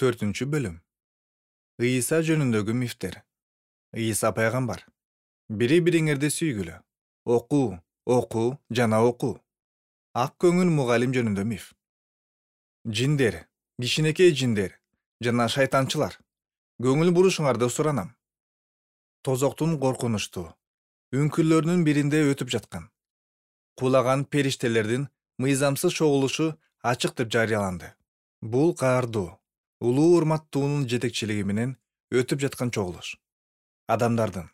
4-бөлүм. Ыйса жөнүндөгү мифтер. Ыйса пайгамбар. Бири-бириңерди сүйгүлө. Окуу жана окуу. Ак көңүл мугалим жөнүндө миф. Жиндер, кичинекей жиндер жана шайтанчылар. Көңүл бурушуңарды суранам. Тозоктун коркунучтуу үңкүрлөрүнүн биринде өтүп жаткан кулаган периштелердин мыйзамсыз чогулушу ачык деп жарыяланды. Бул каардуу, улуу урматтуунун жетекчилиги менен өтүп жаткан чогулуш. Адамдардын,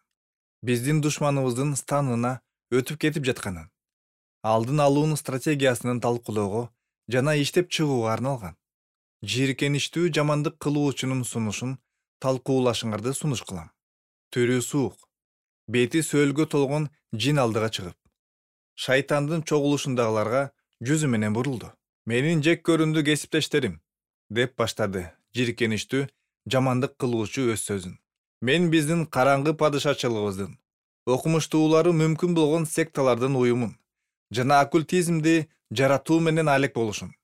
биздин душманыбыздын станына өтүп кетип жатканын, алдын алуунун стратегиясынын талкуулоого жана иштеп чыгууга арналган. Жийиркеничтүү жамандык кылуучунун сунушун талкуулашыңарды сунуш кылам. Түрү суук, бети сөөлгө толгон жин алдыга чыгып, шайтандын чогулушундагыларга жүзү менен бурулду. Менин жек көрүндү кесиптештерим, деп баштады жийиркеничтүү жамандык кылуучу өз сөзүн. Мен биздин караңгы падышачылыгыбыздын окумуштуулары мүмкүн болгон секталардын уюмун жана оккультизмди жаратуу менен алек болушун.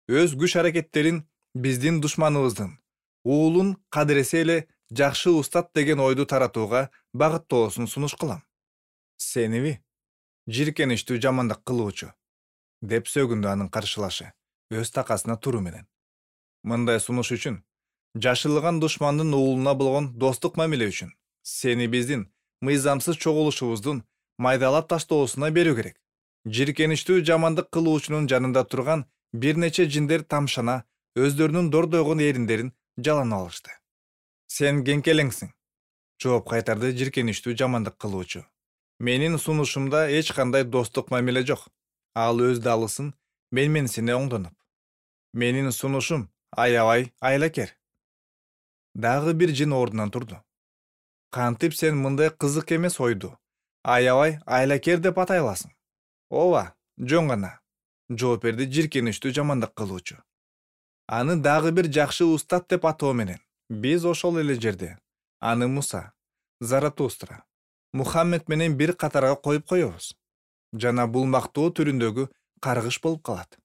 Өз күч-аракеттерин биздин душманыбыздын уулун кадыресе эле жакшы устат деген ойду таратууга багыттоосун сунуш кылам. Сениби, жийиркеничтүү жамандык кылуучу, деп сөгүндү анын каршылашы өз такасына туруу менен. Мындай сунуш үчүн, жашылыган душмандын уулуна болгон достук мамиле үчүн сени биздин мыйзамсыз чогулушубуздун майдалап таштоосуна берүү керек. Жийиркеничтүү жамандык кылуучунун жанында турган бир нече жиндер тамшана өздөрүнүн дордойгон эриндерин жаланып алышты. Сен кеңкелеңсиң, жооп кайтарды жийиркеничтүү жамандык кылуучу. Менин сунушумда эч кандай достук мамиле жок. Ал өз далысын менсине оңдонуп. Менин сунушум аябай айлакер. Дагы бир жин ордунан турду. Кантип сен мындай кызык эмес ойду аябай айлакер деп атай аласың? Ооба, жөн гана, жооп берди жийиркеничтүү жамандык кылуучу. Аны дагы бир жакшы устат деп атоо менен биз ошол эле жерде аны Муса, Заратустра, Мухаммед менен бир катарга коюп коебуз. Жана бул мактоо түрүндөгү каргыш болуп калат.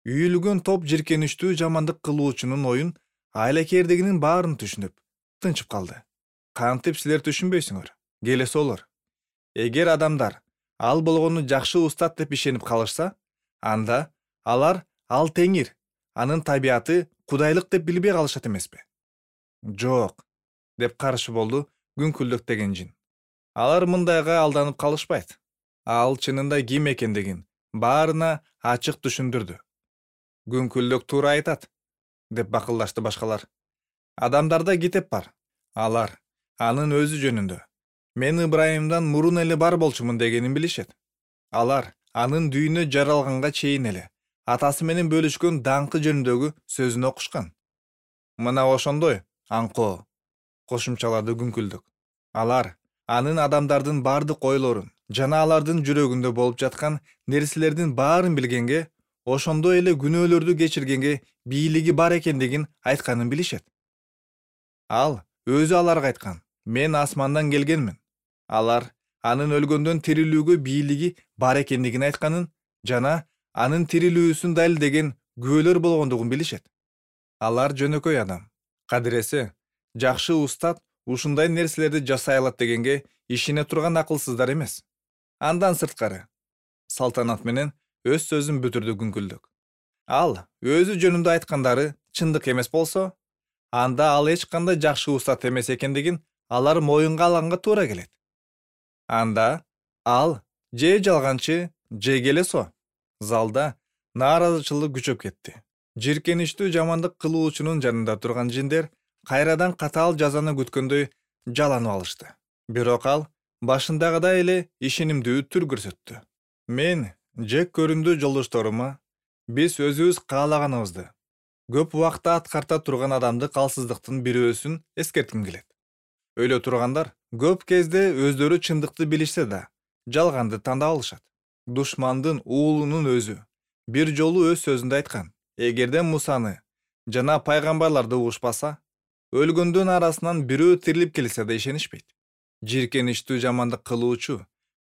Үйүлгөн топ жийиркеничтүү жамандык кылуучунун оюн айлакердигинин баарын түшүнүп, тынчып калды. Кантип силер түшүнбөйсүңөр? Келеси олор. Эгер адамдар ал болгону жакшы устат деп ишенип калышса, анда алар ал теңир, анын табияты кудайлык деп билбей калышат эмеспи? Жок, деп каршы болду күңкүлдүк деген жин. Алар мындайга алданып калышпайт. Ал чынында ким экендигин баарына ачык түшүндүрдү. Күңкүлдүк туура айтат, деп бакылдашты башкалар. Адамдарда китеп бар. Алар анын өзү жөнүндө мен Ыбрайымдан мурун эле бар болчумун дегенин билишет. Алар анын дүйнө жаралганга чейин эле атасы менен бөлүшкөн даңкы жөнүндөгү сөзүн окушкан. Мына ошондой аңкоо, кошумчалады күңкүлдүк. Алар анын адамдардын бардык ойлорун жана алардын жүрөгүндө болуп жаткан нерселердин баарын билгенге, ошондой эле күнөөлөрдү кечиргенге бийлиги бар экендигин айтканын билишет. Ал өзү аларга айткан: мен асмандан келгенмин. Алар анын өлгөндөн тирилүүгө бийлиги бар экендигин айтканын жана анын тирилүүсүн далилдеген күбөлөр болгондугун билишет. Алар жөнөкөй адам. Кадыресе, жакшы устат ушундай нерселерди жасай алат дегенге ишене турган акылсыздар эмес. Андан сырткары, салтанат менен өз сөзүн бүтүрдү күңкүлдүк. Ал өзү жөнүндө айткандары чындык эмес болсо, анда ал эч кандай жакшы устат эмес экендигин алар моюнга алганга туура келет. Анда ал же жалганчы, же келесо. Залда нааразычылык күчөп кетти. Жийиркеничтүү жамандык кылуучунун жанында турган жиндер кайрадан катаал жазаны күткөндөй жаланып алышты. Бирок ал башындагыдай эле ишенимдүү түр көрсөттү. Мен жек көрүндү жолдошторума биз өзүбүз каалаганыбызды көп убакта аткарта турган адамдык алсыздыктын бирөөсүн эскертким келет. Өлө тургандар көп кезде өздөрү чындыкты билишсе да, жалганды тандап алышат. Душмандын уулунун өзү бир жолу өз сөзүндө айткан: эгерде Мусаны жана пайгамбарларды угушпаса, өлгөндөн арасынан бирөө тирилип келсе да ишенишпейт. Жийиркеничтүү жамандык кылуучу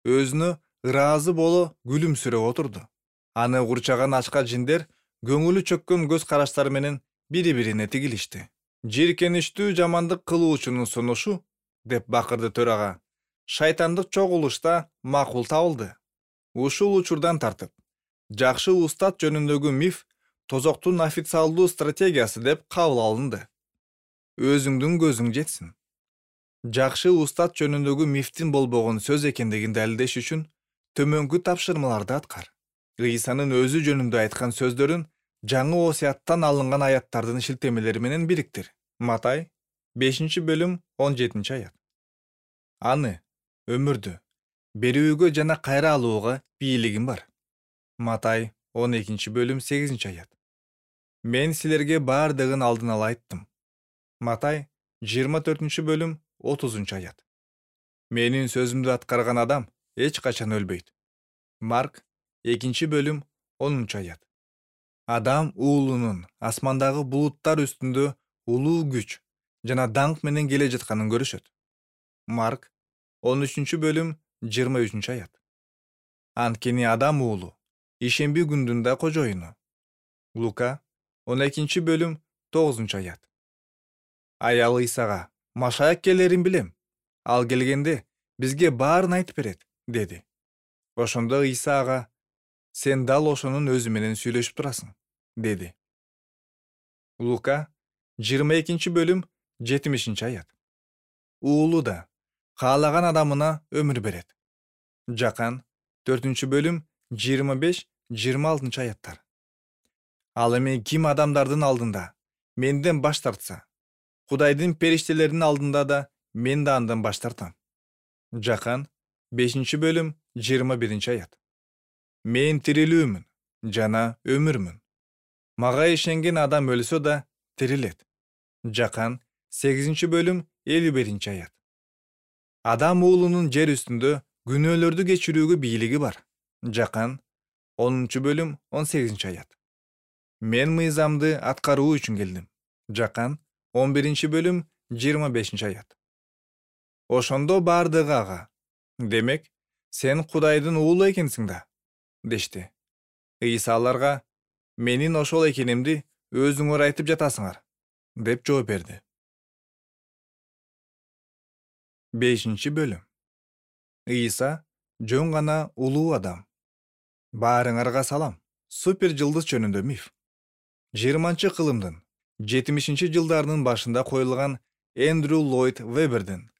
өзүнө ыраазы боло күлүмсүрөп отурду. Аны курчаган ачка жиндер көңүлү чөккөн көз караштары менен бири-бирине тигилишти. Жийиркеничтүү жамандык кылуучунун сунушу, деп бакырды төрага, шайтандык чогулушта макул табылды. Ушул учурдан тартып, жакшы устат жөнүндөгү миф тозоктун официалдуу стратегиясы деп кабыл алынды. Өзүңдүн көзүң жетсин. Жакшы устат жөнүндөгү мифтин болбогон сөз экендигин далилдеш үчүн төмөнкү тапшырмаларды аткар. Ыйсанын өзү жөнүндө айткан сөздөрүн жаңы осуяттан алынган аяттардын шилтемелери менен бириктир. Матай 5-бөлүм 17-аят. Аны, өмүрдү, берүүгө жана кайра алууга бийлигим бар. Матай 12-бөлүм 8-аят. Мен силерге баардыгын алдын ала айттым. Матай 24-бөлүм 30-аят. Менин сөзүмдү аткарган адам эч качан өлбөйт. Марк 2-бөлүм 10-аят. Адам уулунун асмандагы булуттар үстүндө улуу күч жана даңк менен келе жатканын көрүшөт. Марк 13-бөлүм 23-аят. Анткени адам уулу ишемби күндүн да кожоюну. Лука 12-бөлүм 9-аят. Аял Ыйсага: "Машаяк келерин билем. Ал келгенде бизге баарын айтып берет", деди. Ошондо Ыйса ага: "Сен дал ошонун өзү менен сүйлөшүп турасың", деди. Лука 22-бөлүм 70-аят. Уулу да каалаган адамына өмүр берет. Жакан 4-бөлүм 25-26-аяттар. Ал эми ким адамдардын алдында менден баш тартса, Кудайдын периштелеринин алдында да мен да андан баш тартам. Жакан 5-бөлүм 21-аят. Мен тирилүүмүн жана өмүрмүн. Мага ишенген адам өлсө да тирилет. Жакан 8-бөлүм 51-аят. Адам уулунун жер үстүндө күнөөлөрдү кечирүүгө бийлиги бар. Жакан 10-бөлүм 18-аят. Мен мыйзамды аткаруу үчүн келдим. Жакан 11-бөлүм 25-аят. Ошондо баардыгы ага: "Демек, сен Кудайдын уулу экенсиң да", дешти. Ыйса аларга: "Менин ошол экенимди өзүңөр айтып жатасыңар", деп жооп берди. 5-бөлүм. Ыйса жөн гана улуу адам. Баарыңарга салам. Супер жылдыз жөнүндө миф. 20-кылымдын 70-жылдарынын башында коюлган Эндрю Ллойд Вебердин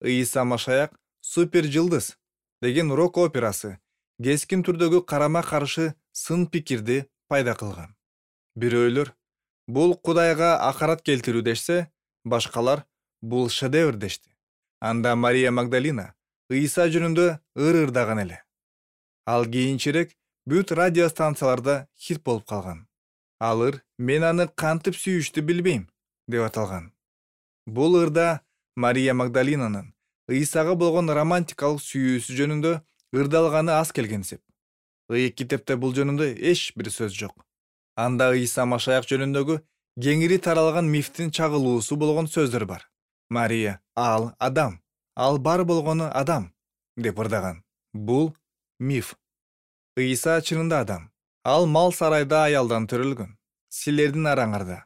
"Ыйса Машаяк супер жылдыз" деген рок операсы кескин түрдөгү карама-каршы сын пикирди пайда кылган. Бирөөлөр бул Кудайга акарат келтирүү дешсе, башкалар бул шедевр дешти. Анда Мария Магдалина Ыйса жөнүндө ыр-ырдаган эле. Ал кийинчерээк бүт радио станцияларда хит болуп калган. Ал ыр "Мен аны кантип сүйүштү билбейм" деп аталган. Бул ырда Мария Магдалинанын Ыйсага болгон романтикалык сүйүүсү жөнүндө ырдалганы аз келгенсип. Ыйык китепте бул жөнүндө эч бир сөз жок. Анда Ыйса Машаяк жөнүндөгү кеңири таралган мифтин чагылуусу болгон сөздөр бар. Мария "Ал адам, ал бар болгону адам" деп ырдаган. Бул миф. Ыйса чынында адам. Ал мал сарайда аялдан төрөлгөн. Силердин араңарда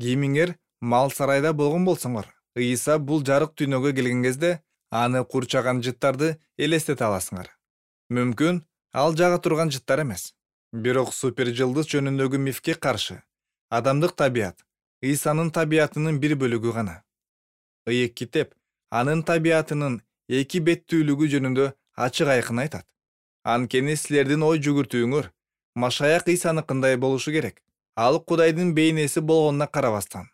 кимиңер мал сарайда болгон болсоңор, Ыйса бул жарык дүйнөгө келген кезде аны курчаган жыттарды элестете аласыңар. Мүмкүн ал жага турган жыттар эмес. Бирок супер жылдыз жөнүндөгү мифке каршы адамдык табият Ыйсанын табиятынын бир бөлүгү гана. Ыйык китеп анын табиятынын эки беттүүлүгү жөнүндө ачык айкын айтат. Анткени силердин ой жүгүртүүңөр Машаяк Ыйсаныкындай болушу керек. Ал Кудайдын бейнеси болгонуна карабастан,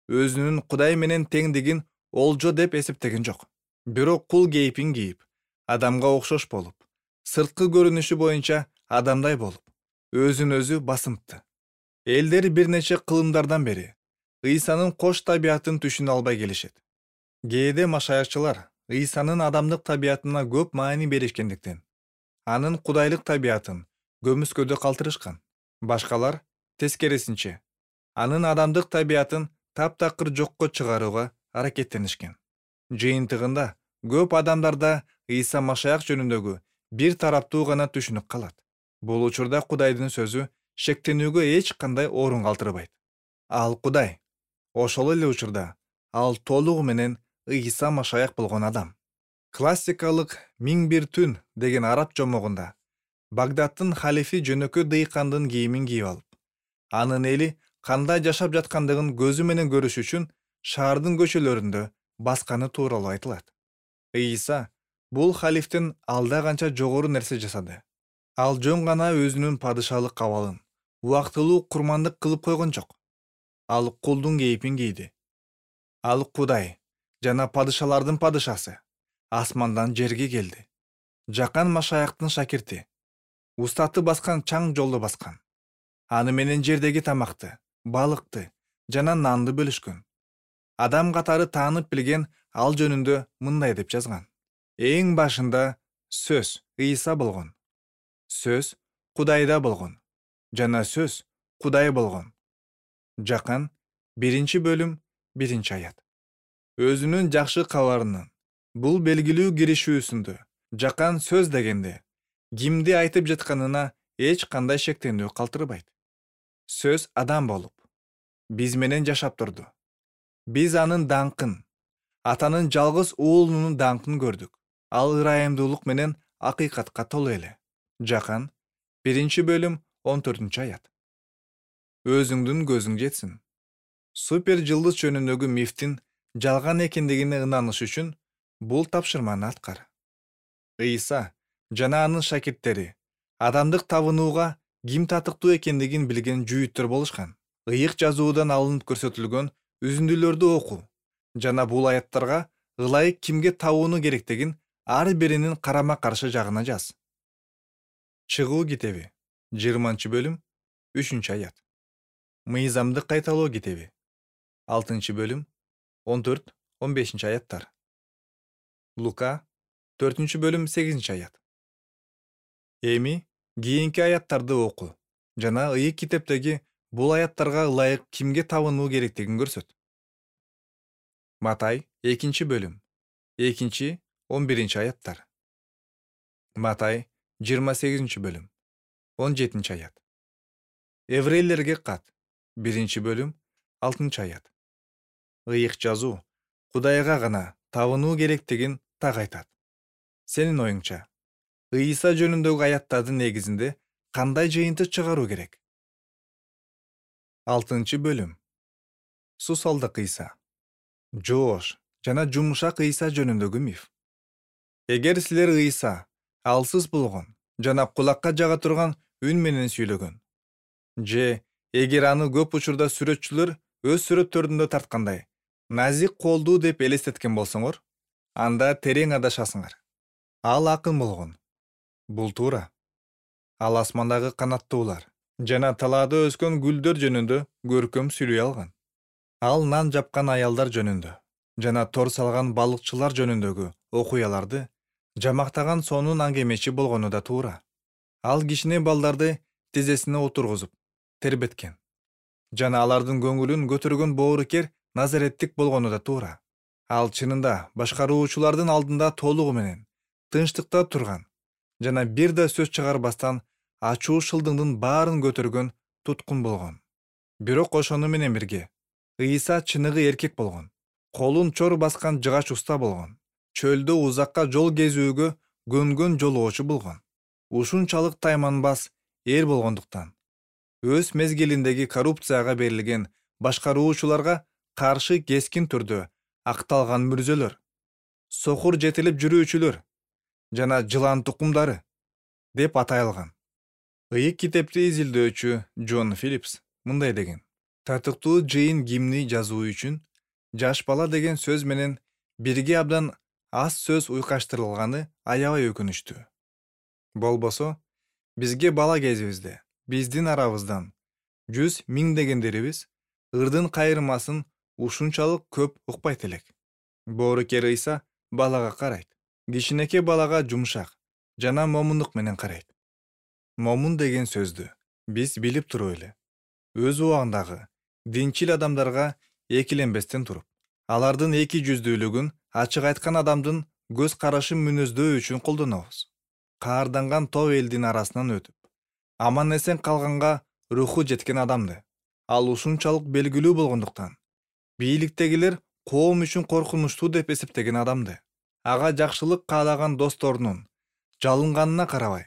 өзүнүн Кудай менен теңдигин олжо деп эсептеген жок. Бирок кул кейпин кийип, адамга окшош болуп, сырткы көрүнүшү боюнча адамдай болуп, өзүн өзү басымтты. Элдер бир нече кылымдардан бери Ыйсанын кош табиятын түшүнө албай келишет. Кээде машаякчылар Ыйсанын адамдык табиятына көп маани беришкендиктен анын кудайлык табиятын көмүскөдө калтырышкан. Башкалар тескерисинче анын адамдык табиятын таптакыр жокко чыгарууга аракеттенишкен. Жыйынтыгында көп адамдарда Ыйса Машаяк жөнүндөгү бир тараптуу гана түшүнүк калат. Бул учурда Кудайдын сөзү шектенүүгө эч кандай орун калтырбайт. ал Кудай. Ошол эле учурда ал толугу менен Ыйса Машаяк болгон адам. Классикалык «Миң бир түн» деген араб жомогунда Багдадтын халифи жөнөкөй дыйкандын кийимин кийип алып, анын эли кандай жашап жаткандыгын көзү менен көрүш үчүн шаардын көчөлөрүндө басканы тууралуу айтылат. Ыйса бул халифтен алда канча жогору нерсе жасады. Ал жөн гана өзүнүн падышалык абалын убактылуу курмандык кылып койгон жок. Ал кулдун кейпин кийди. Ал Кудай жана падышалардын падышасы, асмандан жерге келди. Жакан Машаяктын шакирти, устаты баскан чаң жолду баскан. Аны менен жердеги тамакты, балыкты жана нанды бөлүшкөн. Адам катары таанып билген ал жөнүндө мындай деп жазган: эң башында сөз Ыйса болгон. Сөз Кудайда болгон. Жана сөз Кудай болгон. Жакан 1-бөлүм 1-аят. Өзүнүн жакшы кабарынын бул белгилүү киришүүсүндө жакан сөз дегенде кимди айтып жатканына эч кандай шектенүү калтырбайт. Сөз адам болуп, биз менен жашап турду. Биз анын даңкын, атанын жалгыз уулунун даңкын көрдүк. Ал ырайымдуулук менен акыйкатка толуу эле. Жакан 1-бөлүм 14-аят. Өзүңдүн көзүң жетсин. Супер жылдыз жөнүндөгү мифтин жалган экендигине ынаныш үчүн бул тапшырманы аткар. Ыйса жана анын шакирттери адамдык табынууга ким татыктуу экендигин билген жүйүттөр болушкан. Ыйык жазуудан алынып көрсөтүлгөн үзүндүлөрдү окуу жана бул аяттарга ылайык кимге табууну керектигин ар биринин карама каршы жагына жаз. Чыгуу китеби 20-бөлүм 3-аят. Мыйзамдык кайталоо китеби 6-бөлүм 14-15-аяттар. Лука 4-бөлүм 8-аят. Эми кийинки аяттарды окуу жана ыйык китептеги бул аяттарга ылайык кимге табынуу керектигин көрсөт. Матай 2-бөлүм 2-11-аяттар. Матай 28-бөлүм 17-аят. Еврейлерге кат 1-бөлүм 6-аят. Ыйык жазуу Кудайга гана табынуу керектигин так айтат. Сенин оюңча, Ыйса жөнүндөгү аяттардын негизинде кандай жыйынтык чыгаруу керек? 6-бөлүм. Сусалдык Ыйса. Жоош жана жумшак Ыйса жөнүндөгү миф. Эгер силер Ыйса алсыз болгон жана кулакка жага турган үн менен сүйлөгөн, же эгер аны көп учурда сүрөтчүлөр өз сүрөттөрүндө тарткандай назик колдуу деп элестеткен болсоңор, анда терең адашасыңар. Ал акын болгон. Бул туура. Ал асмандагы канаттуулар жана талаада өскөн гүлдөр жөнүндө көркөм сүйлөй алган. Ал нан жапкан аялдар жөнүндө жана тор салган балыкчылар жөнүндөгү окуяларды жамактаган сонун аңгемечи болгону да туура. Ал кичине балдарды тизесине отургузуп тербеткен жана алардын көңүлүн көтөргөн боорукер назареттик болгону да туура. Ал чынында башкаруучулардын алдында толугу менен тынчтыкта турган жана бир да сөз чыгарбастан ачуу шылдыңдын баарын көтөргөн туткун болгон. Бирок ошону менен бирге Ыйса чыныгы эркек болгон. Колун чор баскан жыгач уста болгон. Чөлдө узакка жол кезүүгө көнгөн жолоочу болгон. Ушунчалык тайманбас эр болгондуктан өз мезгилиндеги коррупцияга берилген башкаруучуларга каршы кескин түрдө акталган мүрзөлөр, сокур жетилип жүрүүчүлөр жана жылан тукумдары деп аталган. Ыйык китепти изилдөөчү Джон Филлипс мындай деген: татыктуу жыйын гимни жазуу үчүн жаш бала деген сөз менен бирге абдан аз сөз уйкаштырылганы аябай өкүнүчтүү. Болбосо, бизге бала кезибизде биздин арабыздан 100 миңдегендерибиз ырдын кайрымасын ушунчалык көп укпайт элек. Боорукер Ыйса балага карайт. Кичинекей балага жумшак жана момундук менен карайт. Момун деген сөздү биз билип туруп эле өз убагындагы динчил адамдарга экиленбестен туруп, алардын эки жүздүүлүгүн ачык айткан адамдын көз карашын мүнөздөө үчүн колдонобуз. Каарданган топ элдин арасынан өтүп, аман эсен калганга руху жеткен адамды, Ал ушунчалык белгилүү болгондуктан бийликтегилер коом үчүн коркунучтуу деп эсептеген адамды ага жакшылык каалаган досторунун жалынганына карабай,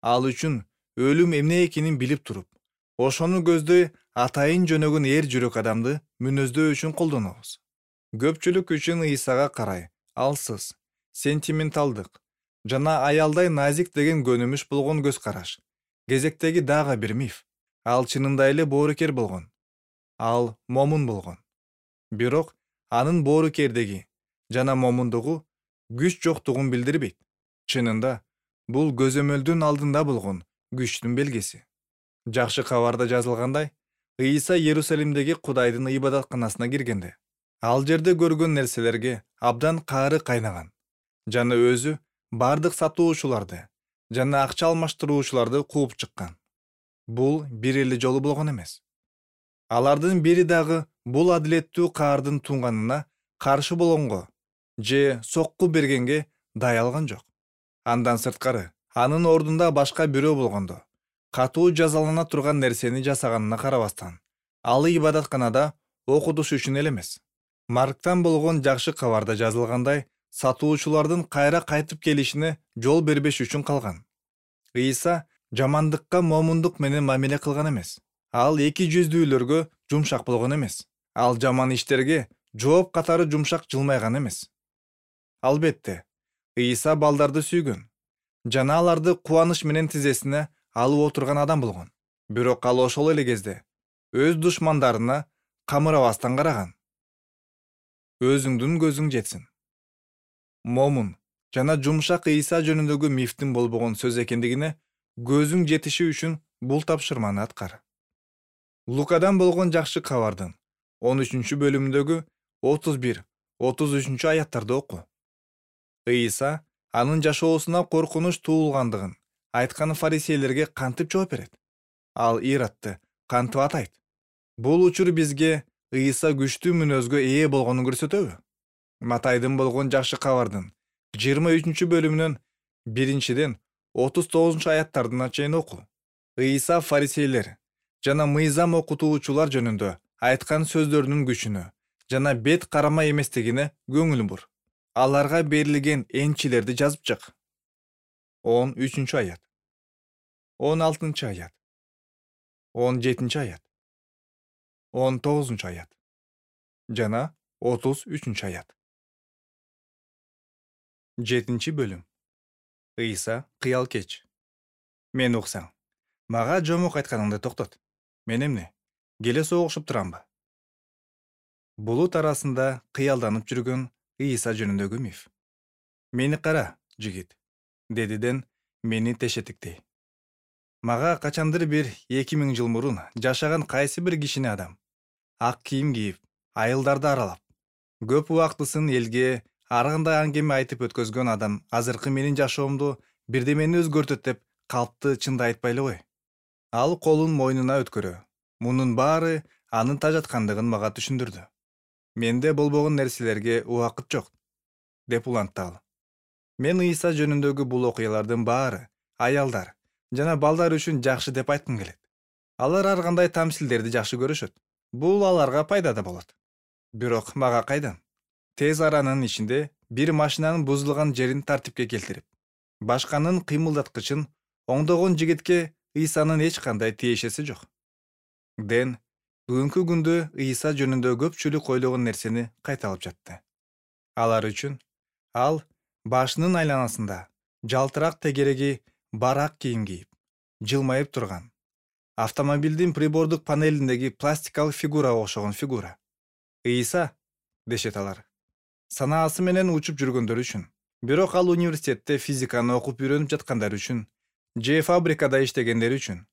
ал үчүн өлүм эмне экенин билип туруп, ошону көздөй атайын жөнөгөн эр жүрөк адамды мүнөздөө үчүн колдонобуз. Көпчүлүк үчүн Ыйсага карай алсыз, сентименталдык жана аялдай назик деген көнүмүш болгон көз караш кезектеги дагы бир миф. Ал чынында эле боорукер болгон. Ал момун болгон. Бирок анын боорукердиги жана момундугу күч жоктугун билдирбейт. Чынында бул көзөмөлдүн алдында болгон күчтүн белгиси. Жакшы кабарда жазылгандай, Ыйса Иерусалимдеги Кудайдын ибадатканасына киргенде, ал жерде көргөн нерселерге абдан каары кайнаган жана өзү бардык сатуучуларды жана акча алмаштыруучуларды кууп чыккан. Бул бир эле жолу болгон эмес. Алардын бири дагы бул адилеттүү каардын туңганына каршы болгонго же сокку бергенге даялган жок. Андан сырткары, анын ордунда башка бирөө болгондо, катуу жазалана турган нерсени жасаганына карабастан, ал ибадатканада окутуш үчүн эле эмес. Марктан болгон жакшы кабарда жазылгандай, сатуучулардын кайра кайтып келишине жол бербеш үчүн калган. Ыйса жамандыкка момундук менен мамиле кылган эмес. Ал эки жүздүүлөргө жумшак болгон эмес. Ал жаман иштерге жооп катары жумшак жылмайган эмес. Албетте, Ыйса балдарды сүйгөн жана аларды кубаныч менен тизесине алып отурган адам болгон. Бирок ал ошол эле кезде өз душмандарына камырабастан караган. Өзүңдүн көзүң жетсин. Момун жана жумшак Ыйса жөнүндөгү мифтин болбогон сөз экендигине көзүң жетиши үчүн бул тапшырманы аткар. Лукадан болгон жакшы кабардын 13-бөлүмүндөгү 31-33 аяттарды оку. Ыйса анын жашоосуна коркунуч туулгандыгын айткан фарисейлерге кантип жооп берет? Ал Иродду кантип атайт? Бул учур бизге Ыйса күчтүү мүнөзгө ээ болгонун көрсөтөбү? Матайдын болгон жакшы кабардын 23-бөлүмүнөн 1-ден 39 чейин оку. Ыйса фарисейлер жана мыйзам окутуучулар жөнүндө айткан сөздөрүнүн күчүнө жана бет карама эместигине көңүл бур. Аларга берилген энчилерди жазып чык. 13-аят, 16-аят, 17-аят, 19-аят жана 33-аят. 7-бөлүм. Ыйса кыял кеч. Мен уксаң, мага жомок айтканыңды токтот. Мен эмне? Келе согушуп турамбы? Булут арасында кыялданып жүргөн Ыйса жөнүндөгү миф. Мени кара, жигит, дедиден мени тешетиктей. Мага качандыр бир 2000 жыл мурун жашаган кайсы бир кишини адам ак кийим кийип, айылдарды аралап, көп убактысын элге ар кандай аңгеме айтып өткөзгөн адам азыркы менин жашоомду бирдемени өзгөртөт деп калпты чынды айтпайлы гой. Ал колун мойнуна өткөрө, мунун баары анын тажаткандыгын мага түшүндүрдү. Менде болбогон нерселерге убакыт жок, деп улантты ал. Мен Ыйса жөнүндөгү бул окуялардын баары аялдар жана балдар үчүн жакшы деп айткым келет. Алар ар кандай тамсилдерди жакшы көрүшөт. Бул аларга пайда да болот. Бирок мага кайдан? Тез аранын ичинде бир машинанын бузулган жерин тартипке келтирип, башканын кыймылдаткычын оңдогон жигитке Ыйсанын эч кандай тиешеси жок. Ден бүгүнкү күндө Ыйса жөнүндө көпчүлүк ойлогон нерсени кайталап жатты. Алар үчүн ал башынын айланасында жалтырак тегереги бар ак кийим кийип, жылмайып турган, автомобилдин прибордук панелиндеги пластикалык фигурага окшогон фигура. Ыйса, дешет алар, санаасы менен учуп жүргөндөр үчүн. Бирок ал университетте физиканы окуп үйрөнүп жаткандар үчүн, же фабрикада иштегендер үчүн,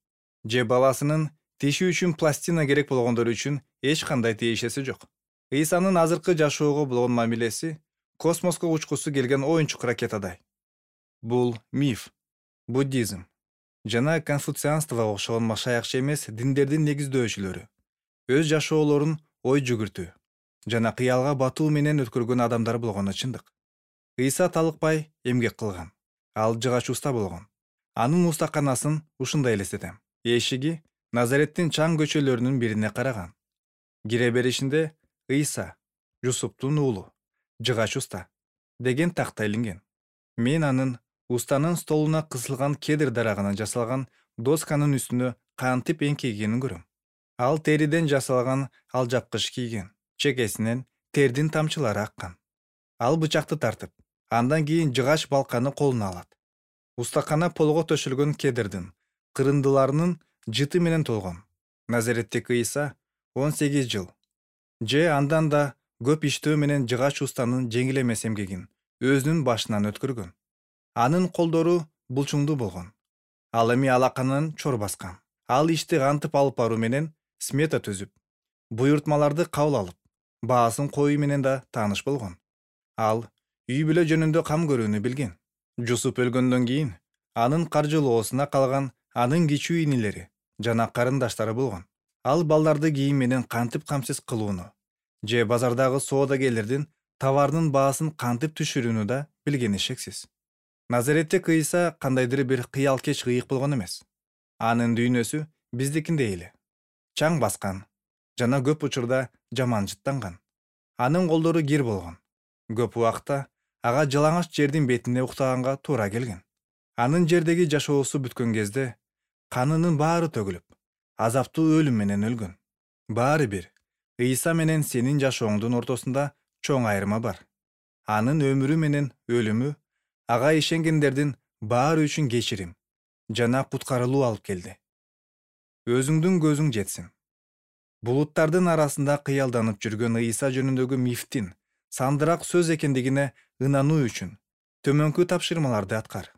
же баласынын тиши үчүн пластина керек болгондор үчүн эч кандай тиешеси жок. Ыйсанын азыркы жашоого болгон мамилеси космоско учкусу келген оюнчук ракетадай. Бул миф, буддизм жана конфуцианствого окшогон машаякчы эмес диндердин негиздөөчүлөрү өз жашоолорун ой жүгүртүү жана кыялга батуу менен өткөргөн адамдар болгону чындык. Ыйса талыкпай эмгек кылган. Ал жыгач уста болгон. Анын устаканасын ушундай элестетем. Эшиги Назареттин чаң көчөлөрүнүн бирине караган. Кире беришинде Ыйса, Жусуптун уулу, жыгач уста деген такта илинген. Мен анын устанын столуна кысылган кедр дарагынан жасалган досканын үстүнө кантип эңкейгенин көрөм. Ал териден жасалган алжапкыч кийген, чекесинен тердин тамчылары аккан. Ал бычакты тартып, андан кийин жыгач балканы колуна алат. Устакана полго төшөлгөн кедрдин кырындыларынын жыты менен толгон. Назареттеги Ыйса 18 жыл же андан да көп иштөө менен жыгач устанын жеңил эмес эмгегин өзүнүн башынан өткөргөн. Анын колдору булчуңдуу болгон. Ал эми алаканын чор баскан. Ал ишти кантип алып баруу менен смета түзүп, буйртмаларды кабыл алып, баасын коюу менен да тааныш болгон. Ал үй бүлө жөнүндө кам көрүүнү билген. Жусуп өлгөндөн кийин анын каржылоосуна калган анын кичүү инилери жана карындаштары болгон. Ал балдарды кийим менен кантип камсыз кылууну же базардагы соодагерлердин товарынын баасын кантип түшүрүүнү да билгени шексиз. Назареттеги Ыйса кандайдыр бир кыялкеч ыйык болгон эмес. Анын дүйнөсү биздикиндей эле. Чаң баскан жана көп учурда жаман жыттанган. Анын колдору кир болгон. Көп убакта ага жалаңач жердин бетине уктаганга туура келген. Анын жердеги жашоосу бүткөн кезде канынын баары төгүлүп, азаптуу өлүм менен өлгөн. Баары бир Ыйса менен сенин жашооңдун ортосунда чоң айырма бар. Анын өмүрү менен өлүмү ага ишенгендердин баары үчүн кечирим жана куткарылуу алып келди. Өзүңдүн көзүң жетсин. Булуттардын арасында кыялданып жүргөн Ыйса жөнүндөгү мифтин сандыраак сөз экендигине ынануу үчүн төмөнкү тапшырмаларды аткар.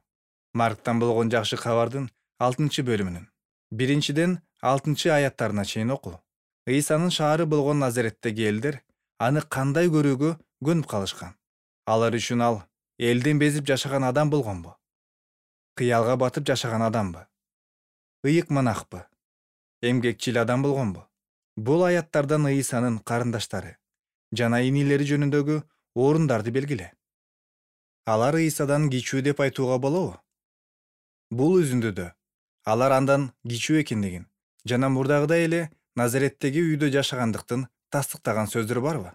Марктан болгон жакшы кабардын 6-бөлүмүнүн 1-6 аяттарына чейин оку. Ыйсанын шаары болгон Назареттеги элдер аны кандай көрүүгө көнүп калышкан. Алар үчүн ал элден безип жашаган адам болгонбу? Кыялга батып жашаган адамбы? Ыйык манакпы? Эмгекчил адам болгонбу? Бул аяттардан Ыйсанын карындаштары жана инилери жөнүндөгү орундарды белгиле. Алар Ыйсадан кичүү деп айтууга болобу? Бул үзүндүдө алар андан кичүү экендигин жана мурдагыдай эле Назареттеги үйдө жашагандыктын тастыктаган сөздөр барбы?